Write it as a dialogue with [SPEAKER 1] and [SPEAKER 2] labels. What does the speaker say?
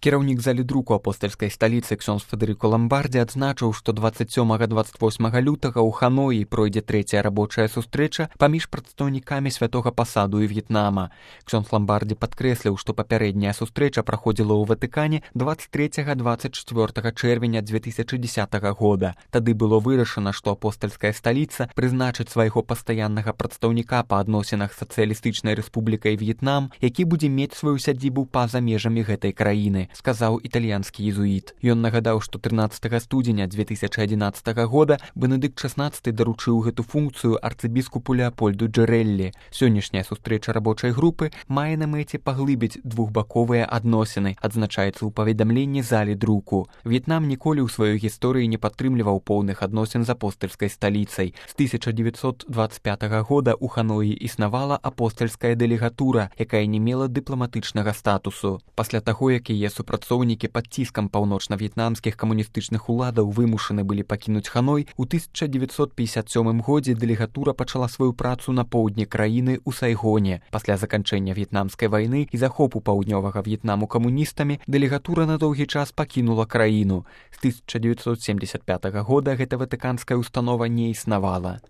[SPEAKER 1] Кіраўнік залі друку апостальскай сталіцы ксёндз Федэрыка Ламбардзі адзначыў, што 27-28 лютага ў Ханоі пройдзе трэцяя рабочая сустрэча паміж прадстаўнікамі святога пасаду і В'етнама. Ксёндз Ламбардзі падкрэсліў, што папярэдняя сустрэча праходзіла ў Ватыкане 23-24 чэрвеня 2010 года. Тады было вырашана, што апостальская сталіца прызначыць свайго пастаяннага прадстаўніка па адносінах сацыялістычнай рэспублікай В'етнам, які будзе мець сваю сядзібу па-за межамі гэтай краіны, сказаў італьянскі езуіт. Ён нагадаў, што 13 студзеня 2011 года Бенедыкт XVI даручыў гэту функцыю арцыбіскупу Леапольду Джэрэллі. Сённяшняя сустрэча рабочай групы мае на мэце паглыбіць двухбаковыя адносіны, адзначаецца ў паведамленні залі друку. В'етнам ніколі ў сваёй гісторыі не падтрымліваў поўных адносін з апостальскай сталіцай. З 1925 года ў Ханоі існавала апостальская дэлегатура, якая не мела дыпламатычнага статусу. Пасля таго, як яе супрацоўнікі пад ціскам паўночна-в'етнамскіх камуністычных уладаў вымушаны былі пакінуць Ханой, у 1957 годзе дэлегатура пачала сваю працу на поўдні краіны ў Сайгоне. Пасля заканчэння в'етнамскай вайны і захопу паўднёвага В'етнаму камуністамі дэлегатура на доўгі час пакінула краіну. З 1975 года гэта ватыканская установа не існавала.